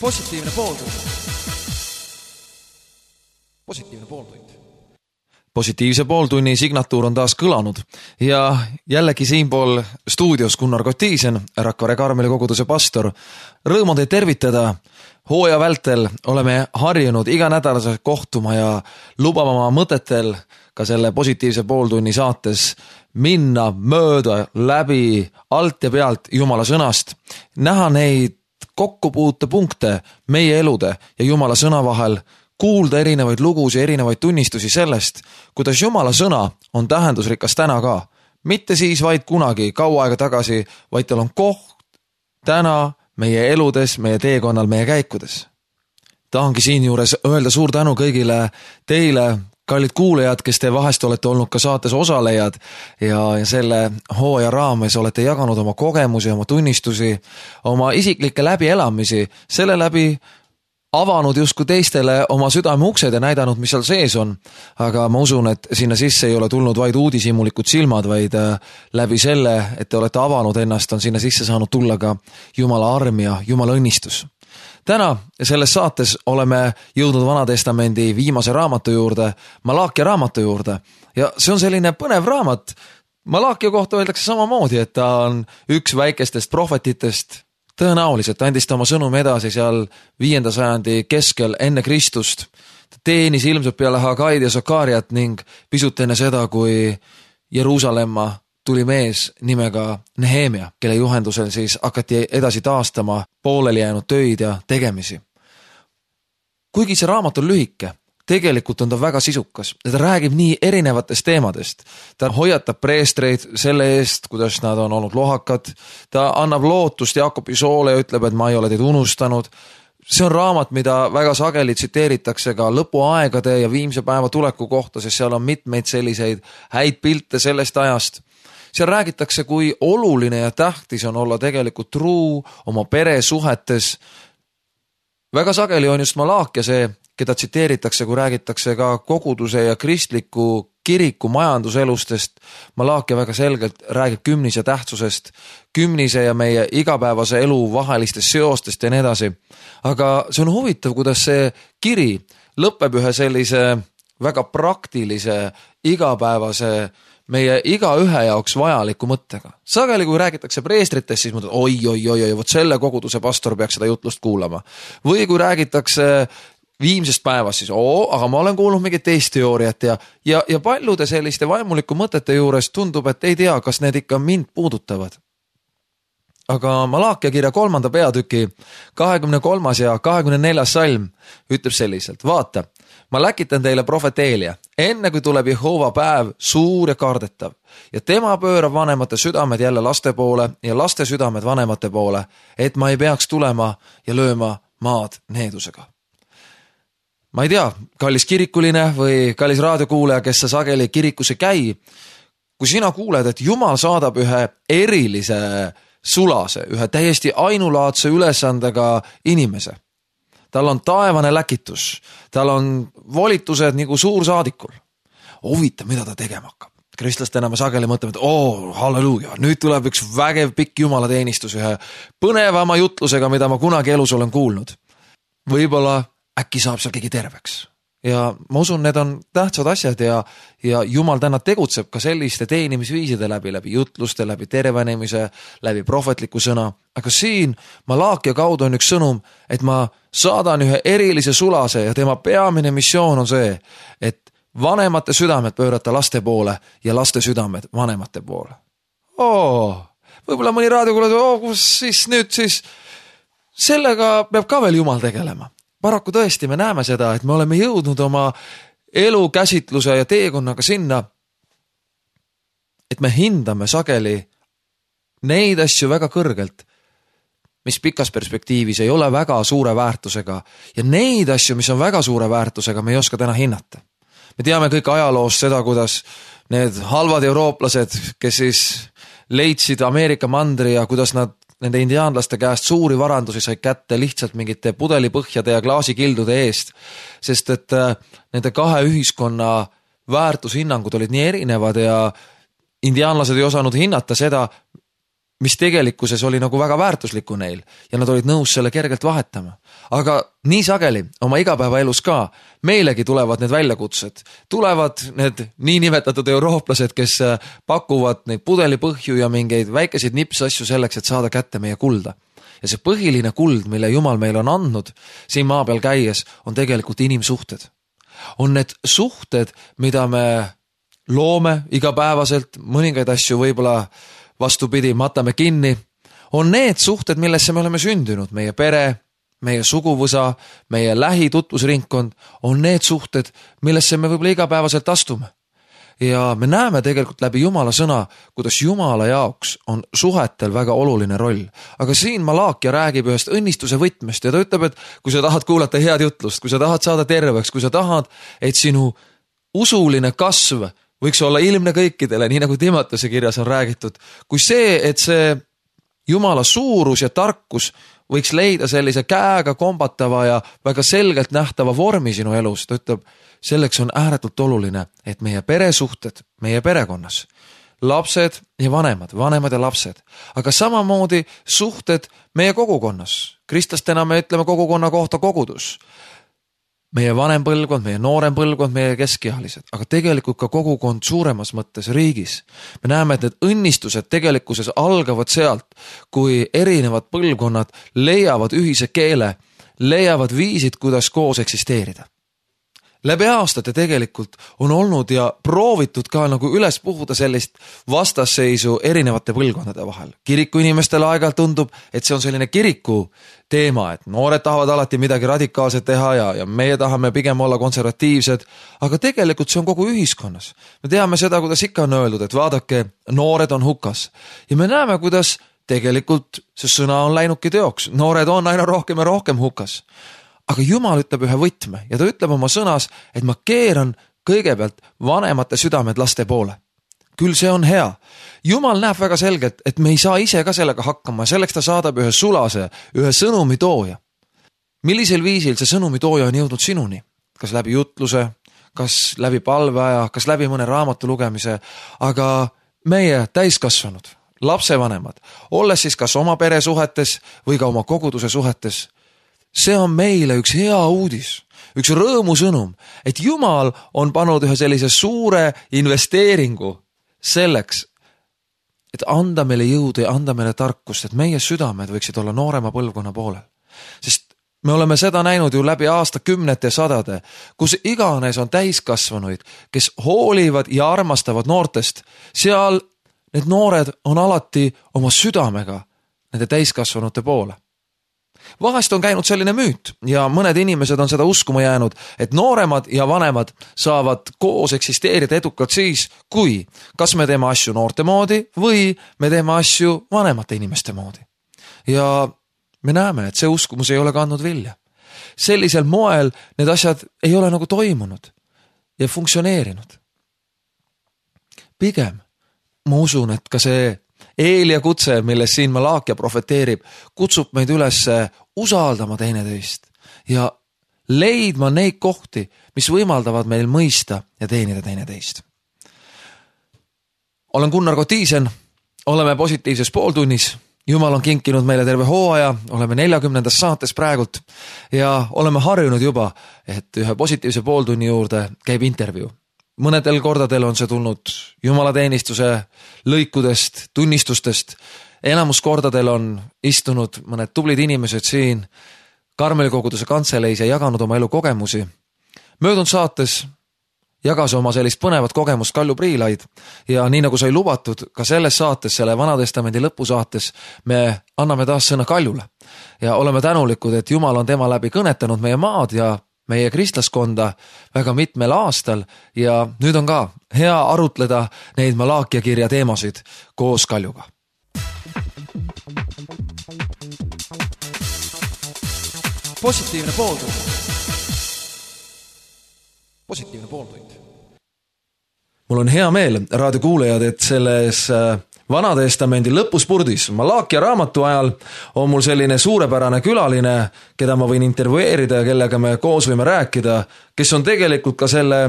Positiivne pooltund. Positiivne pooltund. Positiivse pooltunni signatuur on taas kõlanud ja jällegi siinpool stuudios Gunnar Kotiisen, Rakvere Karmeli koguduse pastor. Rõõm on teid tervitada. Hooaja vältel oleme harjunud iganädalaselt kohtuma ja lubama oma mõtetel ka selle positiivse pooltunni saates minna mööda läbi alt ja pealt Jumala sõnast, näha neid kokkupuutepunkte meie elude ja Jumala sõna vahel, kuulda erinevaid lugusid ja erinevaid tunnistusi sellest, kuidas Jumala sõna on tähendusrikas täna ka. Mitte siis vaid kunagi, kaua aega tagasi, vaid tal on koht täna meie eludes, meie teekonnal, meie käikudes. Tahangi siin juures öelda suur tänu kõigile teile, kallid kuulajad, kes te vahest olete olnud ka saates osalejad ja selle hooaja raames olete jaganud oma kogemusi, oma tunnistusi, oma isiklikke läbielamisi, selle läbi avanud justkui teistele oma südame uksed ja näidanud, mis seal sees on. Aga ma usun, et sinna sisse ei ole tulnud vaid uudishimulikud silmad, vaid läbi selle, et te olete avanud ennast, on sinna sisse saanud tulla ka Jumala arm ja Jumala õnnistus. Täna selles saates oleme jõudnud Vanatestamendi viimase raamatu juurde, Malaakia raamatu juurde. Ja see on selline põnev raamat. Malaakia kohta öeldakse samamoodi, et ta on üks väikestest prohvetitest. Tõenäoliselt andis ta oma sõnum edasi seal 5. sajandi keskel enne Kristust. Ta teenis ilmselt peale Hagaid ja Sakariat ning pisut enne seda, kui Jeruusalemma tuli mees nimega Nehemia, kelle juhendusel siis hakati edasi taastama pooleli jäänud töid ja tegemisi. Kuigi see raamat on lühike, tegelikult on ta väga sisukas ja ta räägib nii erinevatest teemadest. Ta hoiatab preestreid selle eest, kuidas nad on olnud lohakad. Ta annab lootust Jaakobi soole ja ütleb, et ma ei ole teid unustanud. See on raamat, mida väga sageli tsiteeritakse ka lõpuaegade ja viimse päeva tuleku kohta, sest seal on mitmeid selliseid häid pilte sellest ajast. Seal räägitakse, kui oluline ja tähtis on olla tegelikult truu oma peresuhetes. Väga sageli on just Malaakia see, keda tsiteeritakse, kui räägitakse ka koguduse ja kristliku kiriku majanduselustest. Malaakia väga selgelt räägib kümnise tähtsusest, kümnise ja meie igapäevase elu vahelistest seostest ja nii edasi. Aga see on huvitav, kuidas see kiri lõpeb ühe sellise väga praktilise, igapäevase meie igaühe jaoks vajaliku mõttega. Sageli, kui räägitakse preestritest, siis mõtled, oi, vot selle koguduse pastor peaks seda jutlust kuulama. Või kui räägitakse viimsest päevast, siis aga ma olen kuulnud mingit teist teooriat ja paljude selliste vaimuliku mõtete juures tundub, et ei tea, kas need ikka mind puudutavad. Aga Malaakia kirja 3. peatüki 23. ja 24. salm ütleb selliselt, vaata, ma läkitan teile profeteelia, enne kui tuleb Jehova päev suur ja kardetav ja tema pöörab vanemate südamed jälle laste poole ja laste südamed vanemate poole, et ma ei peaks tulema ja lööma maad needusega. Ma ei tea, kallis kirikuline või kallis raadiokuulaja, kes sa sageli kirikusse käi, kui sina kuuled, et Jumal saadab ühe erilise sulase, ühe täiesti ainulaadse ülesandega inimese. Tal on taevane läkitus, tal on volitused nagu suursaadikul. Huvitav, mida ta tegema hakkab. Kristlastena me sageli mõtleme, et halleluuja, nüüd tuleb üks vägev pikk jumalateenistus ühe põnevama jutlusega, mida ma kunagi elus olen kuulnud. Võib-olla äkki saab seal keegi terveks. Ja ma usun, need on tähtsad asjad ja Jumal täna tegutseb ka selliste teenimisviiside läbi jutluste, läbi tervenemise, läbi prohvetliku sõna. Aga siin Malaakia kaudu on üks sõnum, et ma saadan ühe erilise sulase ja tema peamine missioon on see, et vanemate südamed pöörata laste poole ja laste südamed vanemate poole. Võib-olla mõni raadiokuulaja, kus siis nüüd siis sellega peab ka veel Jumal tegelema. Paraku tõesti me näeme seda, et me oleme jõudnud oma elukäsitluse ja teekonnaga sinna, et me hindame sageli neid asju väga kõrgelt, mis pikas perspektiivis ei ole väga suure väärtusega ja neid asju, mis on väga suure väärtusega, me ei oska täna hinnata. Me teame kõik ajaloost seda, kuidas need halvad eurooplased, kes siis leidsid Ameerika mandri ja kuidas nad nende indiaanlaste käest suuri varandusi sai kätte lihtsalt mingite pudelipõhjade ja klaasikildude eest, sest et nende kahe ühiskonna väärtushinnangud olid nii erinevad ja indiaanlased ei osanud hinnata seda, mis tegelikkuses oli nagu väga väärtuslikku neil ja nad olid nõus selle kergelt vahetama. Aga nii sageli oma igapäevaelus ka meilegi tulevad need väljakutsed. Tulevad need niinimetatud eurooplased, kes pakuvad neid pudelipõhju ja mingeid väikeseid nipsasju selleks, et saada kätte meie kulda. Ja see põhiline kuld, mille Jumal meil on andnud siin maa peal käies, on tegelikult inimsuhted. On need suhted, mida me loome igapäevaselt, mõningaid asju võib-olla vastupidi, matame kinni, on need suhted, millesse me oleme sündinud, meie pere, meie suguvõsa, meie lähitutvusringkond, on need suhted, millesse me võib-olla igapäevaselt astume. Ja me näeme tegelikult läbi Jumala sõna, kuidas Jumala jaoks on suhetel väga oluline roll. Aga siin Malaakia räägib ühest õnnistuse võtmest ja ta ütleb, et kui sa tahad kuulata head jutlust, kui sa tahad saada terveks, kui sa tahad, et sinu usuline kasv võiks olla ilmne kõikidele, nii nagu Timoteuse kirjas on räägitud, kui see, et see Jumala suurus ja tarkus võiks leida sellise käega kombatava ja väga selgelt nähtava vormi sinu elus, ta ütleb, selleks on ääretult oluline, et meie peresuhted, meie perekonnas, lapsed ja vanemad ja lapsed, aga samamoodi suhted meie kogukonnas. Kristlastena me ütleme kogukonna kohta kogudus. Meie vanem põlvkond, meie noorem põlvkond, meie keskealised, aga tegelikult ka kogukond suuremas mõttes riigis. Me näeme, et need õnnistused tegelikkuses algavad sealt, kui erinevad põlvkonnad leiavad ühise keele, leiavad viisid, kuidas koos eksisteerida. Läbi aastate tegelikult on olnud ja proovitud ka nagu üles puhuda sellist vastasseisu erinevate põlvkondade vahel. Kiriku inimestele aeg-ajalt tundub, et see on selline kiriku teema, et noored tahavad alati midagi radikaalset teha ja meie tahame pigem olla konservatiivsed, aga tegelikult see on kogu ühiskonnas. Me teame seda, kuidas ikka on öeldud, et vaadake, noored on hukas. Ja me näeme, kuidas tegelikult see sõna on läinudki teoks. Noored on aina rohkem ja rohkem hukas. Aga Jumal ütleb ühe võtme ja ta ütleb oma sõnas, et ma keeran kõigepealt vanemate südamed laste poole. Küll see on hea. Jumal näeb väga selgelt, et me ei saa ise ka sellega hakkama ja selleks ta saadab ühe sulase, ühe sõnumitooja. Millisel viisil see sõnumitooja on jõudnud sinuni? Kas läbi jutluse, kas läbi palveaja, kas läbi mõne raamatu lugemise, aga meie täiskasvanud, lapsevanemad, olles siis kas oma peresuhetes või ka oma koguduse suhetes, see on meile üks hea uudis, üks rõõmusõnum, et Jumal on pannud ühe sellise suure investeeringu selleks, et anda meile jõudu ja anda meile tarkust, et meie südamed võiksid olla noorema põlvkonna poolel. Sest me oleme seda näinud ju läbi aastakümnete sadade, kus iganes on täiskasvanuid, kes hoolivad ja armastavad noortest, seal need noored on alati oma südamega nende täiskasvanute poole. Vahest on käinud selline müüt ja mõned inimesed on seda uskuma jäänud, et nooremad ja vanemad saavad koos eksisteerida edukalt siis, kui kas me teeme asju noorte moodi või me teeme asju vanemate inimeste moodi. Ja me näeme, et see uskumus ei ole kandnud vilja. Sellisel moel need asjad ei ole nagu toimunud ja funktsioneerinud. Pigem ma usun, et ka see Eelia kutse, milles siin Malaakia profeteerib, kutsub meid üles usaldama teineteist ja leidma neid kohti, mis võimaldavad meil mõista ja teenida teineteist. Olen Gunnar Kotiisen, oleme positiivses pooltunnis. Jumal on kinkinud meile terve hooaja, oleme 40. saates praegult ja oleme harjunud juba, et ühe positiivse pooltunni juurde käib intervjuu. Mõnedel kordadel on see tulnud jumalateenistuse lõikudest, tunnistustest. Enamus kordadel on istunud mõned tublid inimesed siin Karmeli koguduse kantseleis ja jaganud oma elu kogemusi. Möödunud saates jagas oma sellist põnevat kogemust Kalju Priilaid ja nii nagu sai lubatud, ka selles saates, selle Vanatestamendi lõpusaates, me anname taas sõna Kaljule ja oleme tänulikud, et Jumal on tema läbi kõnetanud meie maad ja meie kristlaskonda väga mitmel aastal ja nüüd on ka hea arutleda neid Malaakia kirja teemasid koos Kaljuga. Positiivne pooltund. Positiivne pooltund. Mul on hea meel, raadiokuulajad, et selles Vanatestamendi lõpuspurdis. Malaakia raamatu ajal on mul selline suurepärane külaline, keda ma võin intervjueerida ja kellega me koos võime rääkida, kes on tegelikult ka selle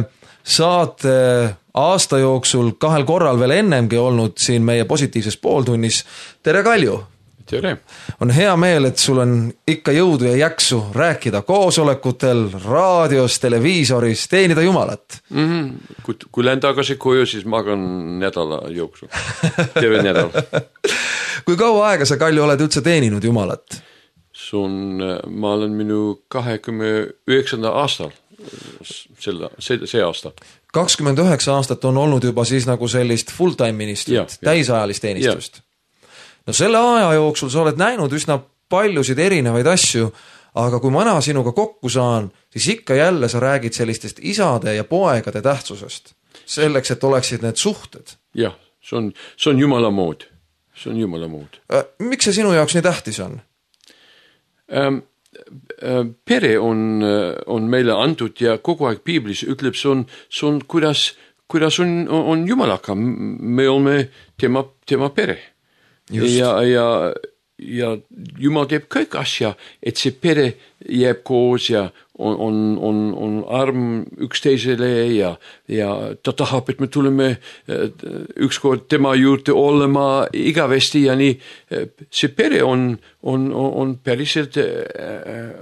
saate aasta jooksul 2 korral veel ennemgi olnud siin meie positiivses pooltunnis. Tere, Kalju! Tere! On hea meel, et sul on ikka jõudu ja jaksu rääkida koosolekutel, raadios, televiisoris, teenida Jumalat. Kui lähen tagasi koju, siis magan nädala jooksul. Terve nädal. Kui kaua aega sa, Kalju, oled üldse teeninud Jumalat? Ma olen minu 29. aastal. See aasta. 29 aastat on olnud juba siis nagu sellist full-time ministrit, täisajalist teenistust. No selle aja jooksul sa oled näinud üsna paljusid erinevaid asju, aga kui ma sinuga kokku saan, siis ikka jälle sa räägid sellistest isade ja poegade tähtsusest. Selleks, et oleksid need suhted. Jah, see on Jumala mood. See on Jumala mood. Miks see sinu jaoks nii tähtis on? Pere on meile antud ja kogu aeg Piiblis ütleb, see on kuidas on Jumalaga. Me oleme tema pere. Ja Jumal teeb kõik asja, et see pere jääb koos ja on arm üksteisele ja ta tahab, et me tuleme ükskord tema juurde olema igavesti ja nii. See pere on päriselt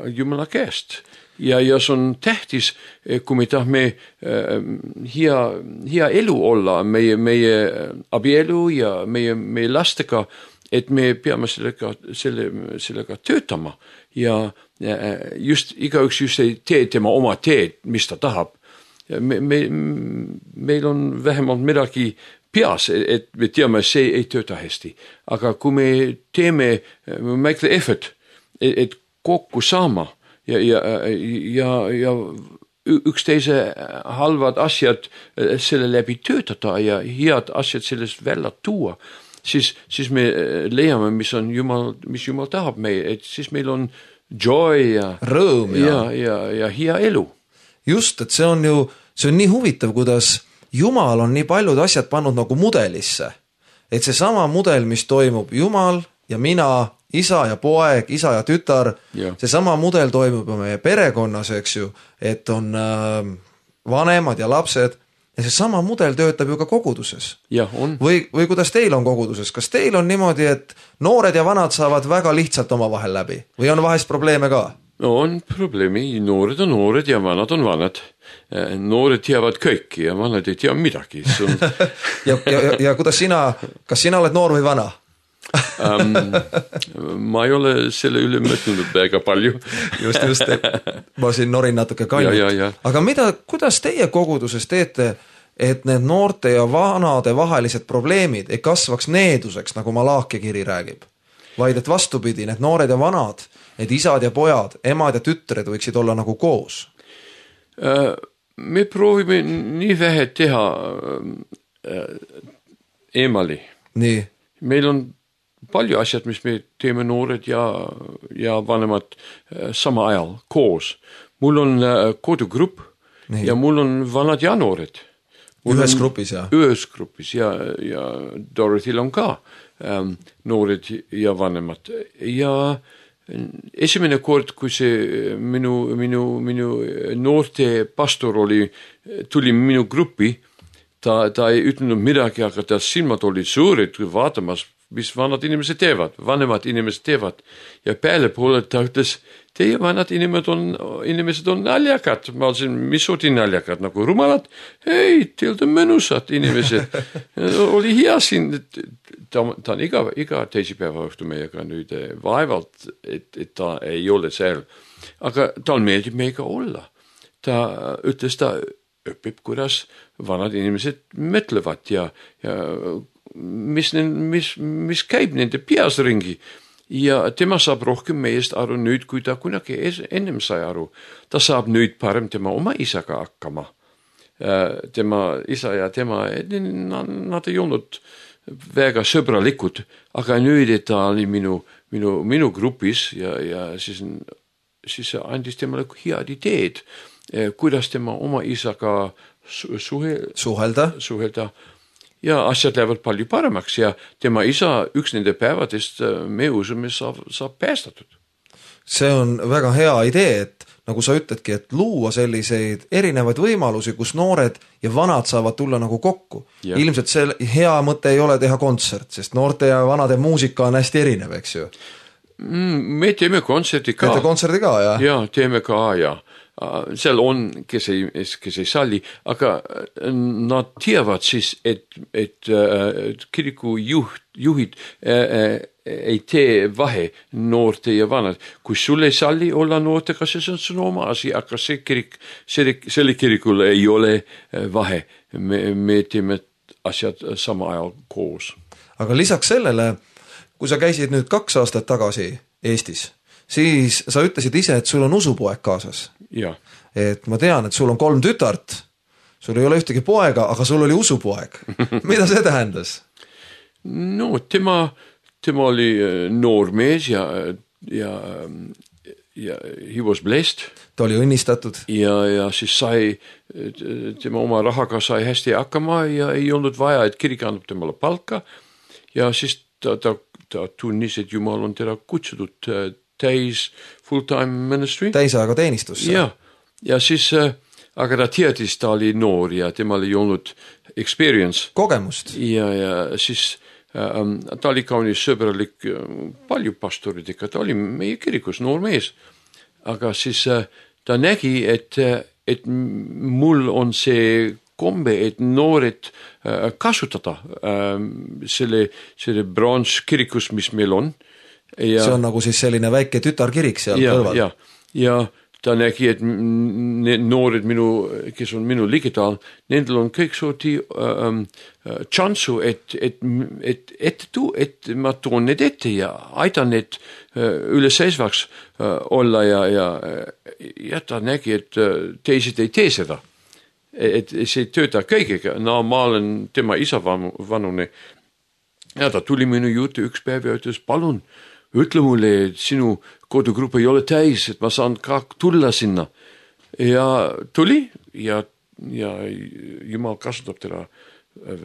Jumala käest. Ja see on tähtis, kui me tahame hea elu olla, meie abielu ja meie lastega, et me peame sellega töötama ja igaüks just ei tee tema oma teed, mis ta tahab. Meil on vähemalt midagi peas, et me teame, see ei tööta hästi. Aga kui me teeme make the effort, et kokku saama, ja üksteise halvad asjad selle läbi töötada ja head asjad sellest välja tuua, siis me leiame, mis Jumal tahab meie, et siis meil on joy ja rõõm ja hea elu. Just, et see on nii huvitav, kuidas Jumal on nii paljud asjad pannud nagu mudelisse. Et see sama mudel, mis toimub Jumal ja mina, isa ja poeg, isa ja tütar, see sama mudel toimub meie perekonnas, eks ju, et on vanemad ja lapsed ja see sama mudel töötab ju ka koguduses. Ja, on. Või kuidas teil on koguduses? Kas teil on niimoodi, et noored ja vanad saavad väga lihtsalt oma vahel läbi? Või on vahest probleeme ka? No, on probleemi. Noored on noored ja vanad on vanad. Noored teavad kõiki ja vanad ei tea midagi. ja kuidas kas sina oled noor või vana? Ma ei ole selle üle mõtlenud väga palju. Just. Ma siin norin natuke Kaljut. Aga kuidas teie koguduses teete, et need noorte ja vanade vahelised probleemid ei kasvaks needuseks, nagu Malaakia kiri räägib? Vaid et vastupidi, need noored ja vanad, need isad ja pojad, emad ja tütred võiksid olla nagu koos? Me proovime nii vähe teha eemali. Nii. Meil on palju asjad, mis me teeme noored ja vanemad sama ajal koos. Mul on kodugrupp ja mul on vanad ja noored. Ühes grupis, jah? Ühes grupis ja Dorothyl on ka noored ja vanemad. Ja esimene kord, kui see minu noorte pastor tuli minu gruppi, ta ei ütlenud midagi, aga ta silmad olid suured vaatamas, mis vanad inimesed teevad, vanemad inimesed teevad. Ja peale poole ta ütles, teie vanad inimesed on naljakad. Ma olin, mis oli naljakad, nagu rumalad? Ei, teil on mõnusad inimesed. Oli hea siin, ta on iga teisipäeva õhtu meiega nüüd vaevalt, et ta ei ole seal. Aga tal meeldib meiega olla. Ta ütles, ta õpib, kuidas vanad inimesed mõtlevad ja mis käib nende peas ringi ja tema saab rohkem meest aru nüüd, kui ta kunagi ennem sai aru. Ta saab nüüd parem tema oma isaga hakkama. Tema isa ja tema, nad ei olnud väga sõbralikud, aga nüüd, et ta oli minu grupis ja siis andis temale head ideed, kuidas tema oma isaga suhelda. ja asjad lähevad palju paremaks ja tema isa üks nende päevadest me usume saab päästatud. See on väga hea idee, et nagu sa ütledki, et luua selliseid erinevaid võimalusi, kus noored ja vanad saavad tulla nagu kokku. Ja. Ilmselt see hea mõte ei ole teha kontsert, sest noorte ja vanade muusika on hästi erinev, eks ju. Me teeme kontserti ka. Teete kontserti ka, jah? Ja, teeme ka, ja. Seal on, kes ei salli, aga nad teavad siis, et kiriku juhid ei tee vahe noorte ja vanad. Kui sul ei salli olla noortega, siis on sun oma asi, aga selle kirikul ei ole vahe. Me teeme asjad sama ajal koos. Aga lisaks sellele, kui sa käisid nüüd 2 aastat tagasi Eestis, siis sa ütlesid ise, et sul on usupoeg kaasas. Ja. Et ma tean, et sul on 3 tütart, sul ei ole ühtegi poega, aga sul oli usupoeg. Mida see tähendas? No, tema oli noor mees ja he was blessed. Ta oli õnnistatud. Ja siis tema oma rahaga sai hästi hakkama ja ei olnud vaja, et kirik annab temale palka. Ja siis ta tunnis, et Jumal on teda kutsutud täis full-time ministry. Täisaega teenistusse. Ja siis, aga ta teadis, ta oli noor ja temal ei olnud experience. Kogemust. Ja siis ta oli kaunis sõbralik palju pastoridega, ta oli meie kirikus noor mees. Aga siis ta nägi, et mul on see kombe, et noored kasutada selle branch kirikus, mis meil on. Ja, see on nagu siis selline väike tütarkirik seal kõrval. Ja ta nägi, et noored kes on minu ligidal, nendel on kõik sooti tšansu, et ma toon need ette ja aitan need üleseisvaks olla ja ta nägi, et teised ei tee seda. Et see ei tööta kõigega. No ma olen tema isa vanune ja ta tuli minu juurde üks päev ja ütles, palun, ütle mulle, et sinu kodugrupp ei ole täis, et ma saan ka tulla sinna. Ja tuli ja Jumal kasutab teda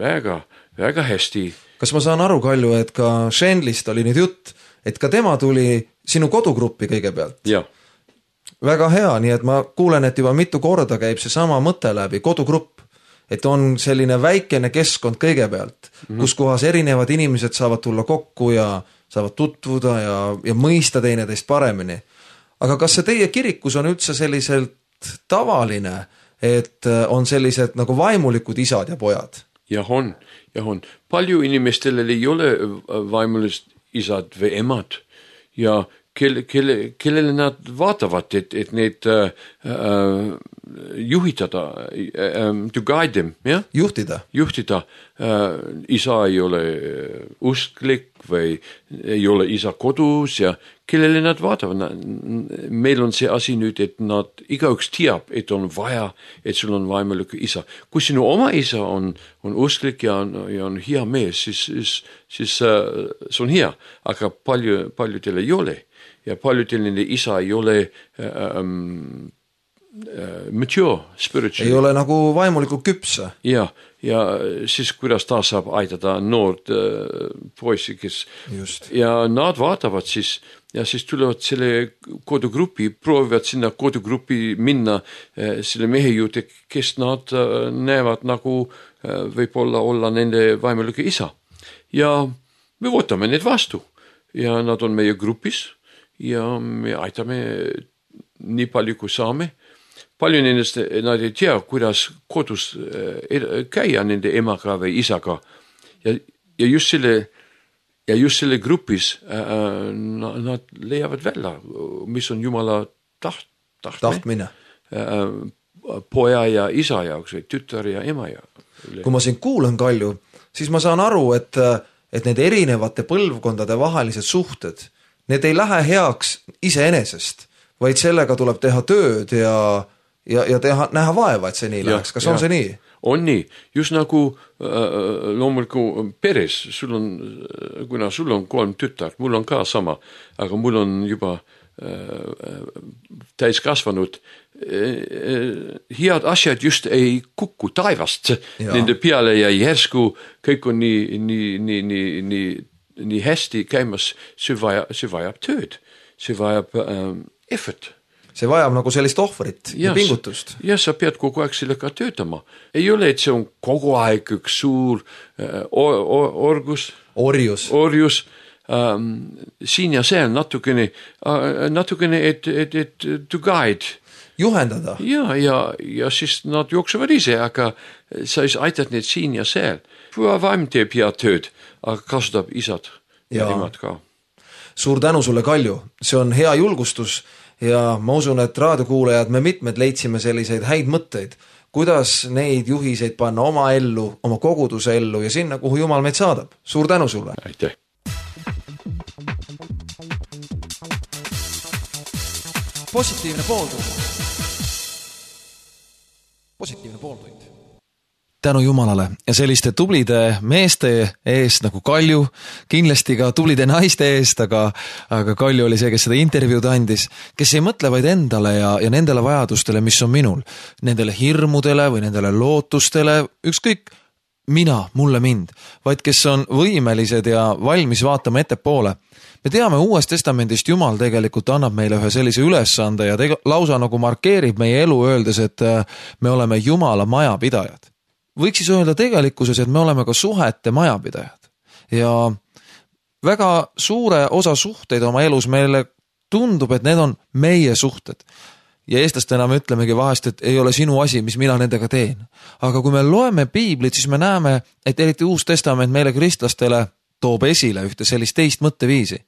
väga, väga hästi. Kas ma saan aru, Kalju, et ka Shenlist oli nüüd jutt, et ka tema tuli sinu kodugruppi kõigepealt? Ja. Väga hea, nii et ma kuulen, et juba mitu korda käib see sama mõte läbi, kodugrupp, et on selline väikene keskkond kõigepealt, kus kohas erinevad inimesed saavad tulla kokku ja saavad tutvuda ja mõista teineteist paremini. Aga kas see teie kirikus on üldse selliselt tavaline, et on sellised nagu vaimulikud isad ja pojad? Ja on. Palju inimestel ei ole vaimulist isad või emad ja kellele nad vaatavad, et need juhitada, to guide them, ja? Juhtida. Isa ei ole usklik või ei ole isa kodus ja kellele nad vaatavad. Meil on see asi nüüd, et nad igaüks teab, et on vaja, et sul on vaimulik isa. Kui sinu oma isa on usklik ja on hea mees, siis see on hea, aga paljudel ei ole. Ja paljudel nende isa ei ole mature, spiritual. Ei ole nagu vaimulikult küpsa. Ja siis kuidas ta saab aidata noord poisi, kes just. Ja nad vaatavad siis ja siis tulevad selle kodugrupi, proovivad sinna kodugrupi minna selle mehe juurde, kes nad näevad nagu võib-olla olla nende vaimulike isa. Ja me võtame need vastu ja nad on meie grupis ja me aitame nii palju kui saame. Palju nendest nad ei tea, kuidas kodus käia nende emaga või isaga. Ja just selle grupis nad leiavad välja, mis on Jumala tahtmine. Poja ja isa jaoks või tütar ja ema jaoks. Kui ma siin kuulen, Kalju, siis ma saan aru, et need erinevate põlvkondade vahelised suhted, need ei lähe heaks iseenesest, vaid sellega tuleb teha tööd ja näha vaeva, et see nii läheks. Kas on see nii? On nii. Just nagu loomuliku peres, kuna sul on 3 tütart, mul on ka sama, aga mul on juba täiskasvanud head asjad just ei kuku taivast nende peale ja järsku kõik on nii hästi käimas, see vajab tööd, see vajab effort. See vajab nagu sellist ohvrit ja pingutust. Ja sa pead kogu aeg sellega töötama. Ei ole, et see on kogu aeg üks suur orjus. Siin ja seal natukene, et to guide. Juhendada. Ja siis nad jooksevad ise, aga sa aitad need siin ja seal. Vaim teeb head tööd, aga kasutab isad ja emad ka. Suur tänu sulle, Kalju. See on hea julgustus ja ma usun, et raadiokuulajad me mitmed leidsime selliseid häid mõtteid, kuidas neid juhiseid panna oma ellu, oma koguduse ellu ja sinna, kuhu Jumal meid saadab. Suur tänu sulle. Aitäh. Positiivne pooltund. Tänu Jumalale ja selliste tublide meeste eest nagu Kalju, kindlasti ka tublide naiste eest, aga Kalju oli see, kes seda intervjuud andis, kes ei mõtle vaid endale ja nendele vajadustele, mis on minul, nendele hirmudele või nendele lootustele, ükskõik mulle mind, vaid kes on võimelised ja valmis vaatama ettepoole. Me teame Uuest Testamendist Jumal tegelikult annab meile ühe sellise ülesande ja lausa nagu markeerib meie elu öeldes, et me oleme Jumala majapidajad. Võiks siis öelda tegelikkuses, et me oleme ka suhete majapidajad ja väga suure osa suhteid oma elus meile tundub, et need on meie suhted. Ja eestlastena me ütlemegi vahest, et ei ole sinu asi, mis mina nendega teen. Aga kui me loeme piiblit, siis me näeme, et eriti Uus Testament meile kristlastele toob esile ühte sellist teist mõtteviisi.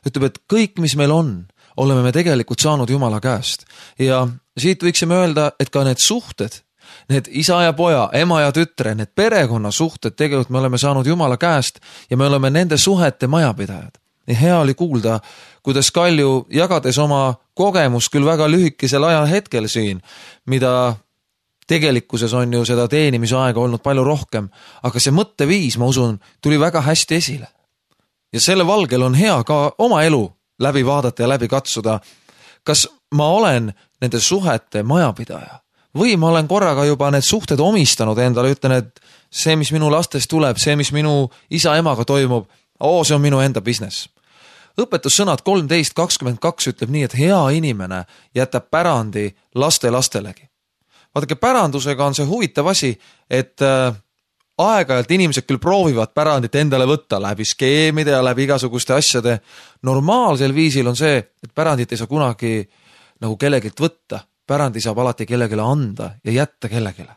Ütleb, et kõik, mis meil on, oleme me tegelikult saanud Jumala käest. Ja siit võiksime öelda, et ka need suhted, need isa ja poja, ema ja tütre, need perekonna suhted tegelikult me oleme saanud Jumala käest ja me oleme nende suhete majapidajad. Ja hea oli kuulda, kuidas Kalju jagades oma kogemust küll väga lühikesel ajahetkel siin, mida tegelikkuses on ju seda teenimisaega olnud palju rohkem, aga see mõtteviis, ma usun, tuli väga hästi esile. Ja selle valgel on hea ka oma elu läbi vaadata ja läbi katsuda, kas ma olen nende suhete majapidaja või ma olen korraga juba need suhted omistanud endale, ütlen, et see, mis minu lastest tuleb, see, mis minu isa-emaga toimub, see on minu enda business. Õpetussõnad 13:22 ütleb nii, et hea inimene jätab pärandi lastelegi. Vaadake, pärandusega on see huvitav asi, et aeg-ajalt inimesed küll proovivad pärandit endale võtta läbi skeemide ja läbi igasuguste asjade. Normaalsel viisil on see, et pärandit ei saa kunagi nagu kellegilt võtta. Pärandi saab alati kellegile anda ja jätta kellegile.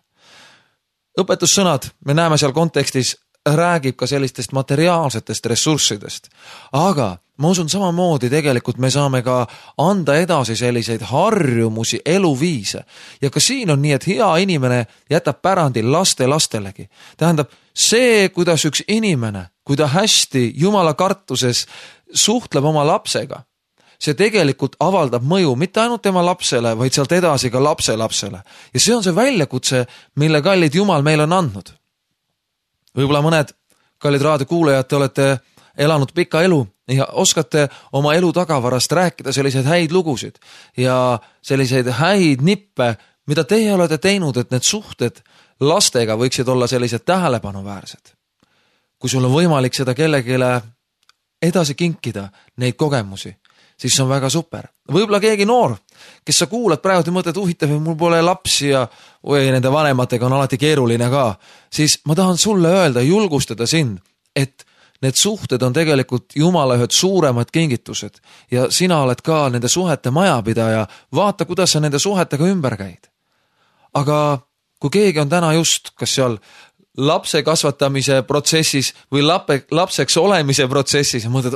Õpetussõnad, me näeme seal kontekstis, räägib ka sellistest materiaalsetest ressurssidest. Aga ma usun samamoodi tegelikult me saame ka anda edasi selliseid harjumusi, eluviise. Ja ka siin on nii, et hea inimene jätab pärandi lastelegi. Tähendab, see, kuidas üks inimene, kui ta hästi Jumala kartuses suhtleb oma lapsega, see tegelikult avaldab mõju mitte ainult tema lapsele, vaid sealt edasi ka lapselapsele. Ja see on see väljakutse, mille kallid Jumal meil on andnud. Võib-olla mõned kallid raadiokuulajad, te olete elanud pika elu ja oskate oma elu tagavarast rääkida selliseid häid lugusid ja selliseid häid nippe, mida teie olete teinud, et need suhted lastega võiksid olla sellised tähelepanuväärsed. Kui sul on võimalik seda kellegile edasi kinkida, neid kogemusi, siis see on väga super. Võib-olla keegi noor, kes sa kuulad praegu ja mõtled, huvitav, mul pole lapsi ja nende vanematega on alati keeruline ka, siis ma tahan sulle öelda, julgustada sind, et need suhted on tegelikult Jumala ühed suuremad kingitused ja sina oled ka nende suhete majapidaja, vaata, kuidas sa nende suhetega ümber käid. Aga kui keegi on täna just, kas seal lapse kasvatamise protsessis või lapseks olemise protsessis ja mõtled,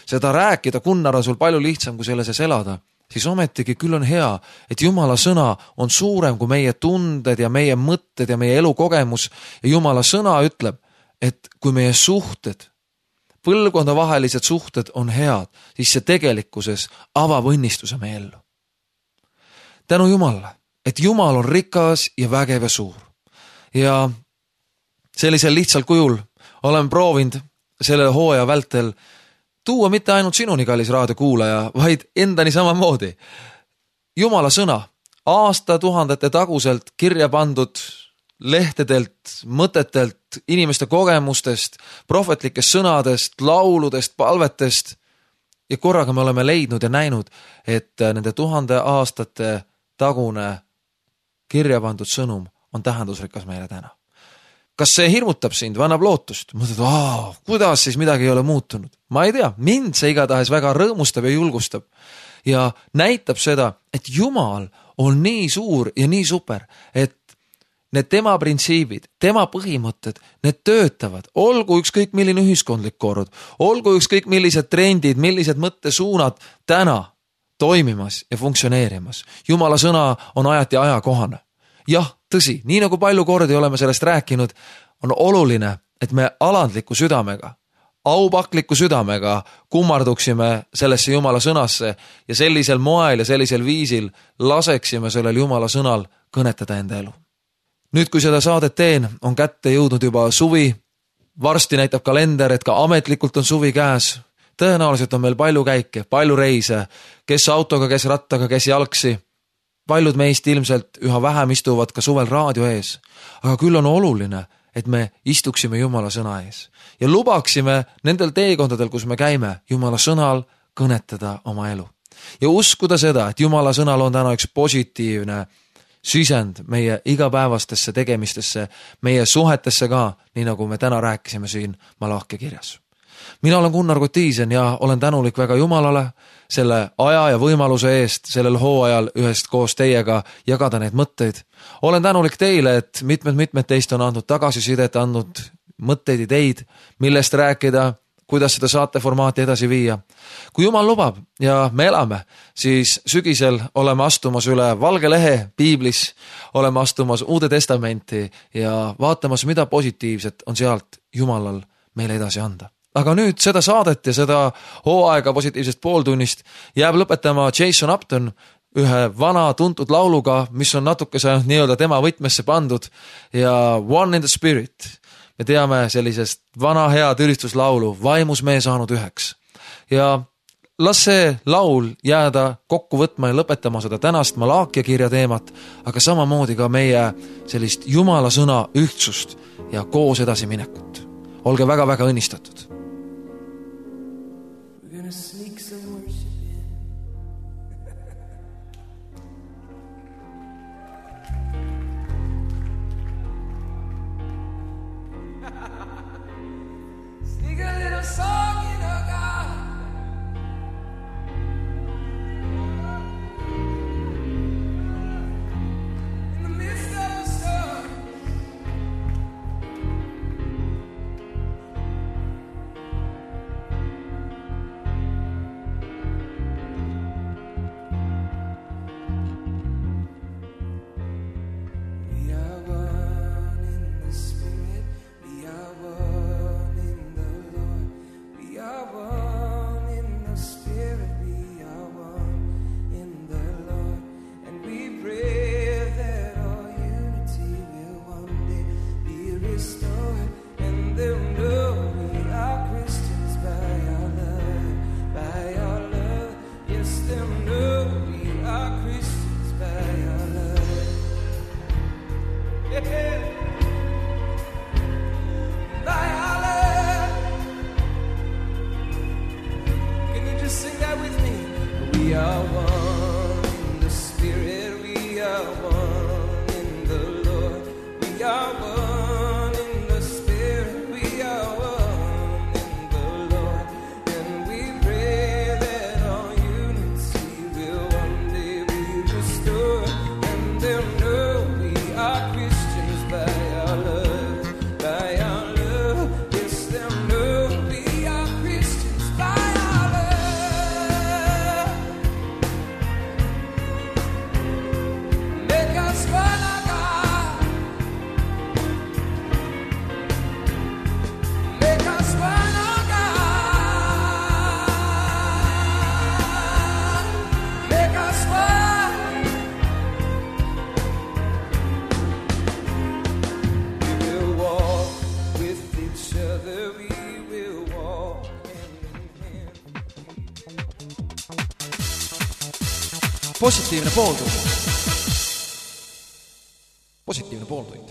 seda rääkida, Gunnar, on sul palju lihtsam kui selle sees elada, siis ometigi küll on hea, et Jumala sõna on suurem kui meie tunded ja meie mõtted ja meie elukogemus ja Jumala sõna ütleb, et kui meie suhted, põlvkondavahelised suhted on head, siis see tegelikkuses avab õnnistuse meie ellu. Tänu Jumalale, et Jumal on rikas ja vägev ja suur. Ja sellisel lihtsal kujul olen proovinud selle hooaja vältel tuua mitte ainult sinuni, kallis raadiokuulaja, vaid endani samamoodi. Jumala sõna, aastatuhandete taguselt kirja pandud lehtedelt, mõtetelt, inimeste kogemustest, prohvetlikest sõnadest, lauludest, palvetest ja korraga me oleme leidnud ja näinud, et nende 1000 aastate tagune kirja pandud sõnum on tähendusrikas meile täna. Kas see hirmutab sind, annab lootust? Mõtled, kuidas siis midagi ei ole muutunud? Ma ei tea, mind see igatahes väga rõõmustab ja julgustab ja näitab seda, et Jumal on nii suur ja nii super, et need tema printsiibid, tema põhimõtted, need töötavad, olgu ükskõik milline ühiskondlik kord, olgu ükskõik millised trendid, millised mõttesuunad täna toimimas ja funktsioneerimas. Jumala sõna on ajati ajakohane. Jah, tõsi, nii nagu palju kordi oleme sellest rääkinud, on oluline, et me alandliku südamega, aupakliku südamega kummarduksime sellesse Jumala sõnasse ja sellisel moel ja sellisel viisil laseksime sellel Jumala sõnal kõnetada enda elu. Nüüd, kui seda saadet teen, on kätte jõudnud juba suvi. Varsti näitab kalender, et ka ametlikult on suvi käes. Tõenäoliselt on meil palju käike, palju reise, kes autoga, kes rattaga, kes jalgsi. Paljud meist ilmselt üha vähem istuvad ka suvel raadio ees. Aga küll on oluline, et me istuksime Jumala sõna ees. Ja lubaksime nendel teekondadel, kus me käime, Jumala sõnal kõnetada oma elu. Ja uskuda seda, et Jumala sõnal on täna üks positiivne sisend meie igapäevastesse tegemistesse, meie suhetesse ka, nii nagu me täna rääkisime siin Malahkia kirjas. Mina olen Gunnar Kotiisen ja olen tänulik väga Jumalale selle aja ja võimaluse eest sellel hooajal ühest koos teiega jagada neid mõtteid. Olen tänulik teile, et mitmed teist on andnud tagasisidet, andnud mõtteid, ideid, millest rääkida, kuidas seda saateformaati edasi viia. Kui Jumal lubab ja me elame, siis sügisel oleme astumas üle valge lehe piiblis, oleme astumas Uude Testamenti ja vaatamas, mida positiivset on sealt Jumalal meile edasi anda. Aga nüüd seda saadet ja seda hooaega positiivsest pooltunnist jääb lõpetama Jason Upton ühe vana tuntud lauluga, mis on natukese nii-öelda tema võtmesse pandud ja One in the Spirit. Me teame sellisest vana hea ülistuslaulu Vaimus me saanud üheks. Ja las see laul jääda kokku võtma ja lõpetama seda tänast Malahkia kirja teemat, aga samamoodi ka meie sellist Jumala sõna ühtsust ja koos edasi minekut. Olge väga-väga õnnistatud. positiivne pooltund. Positiivne pooltund.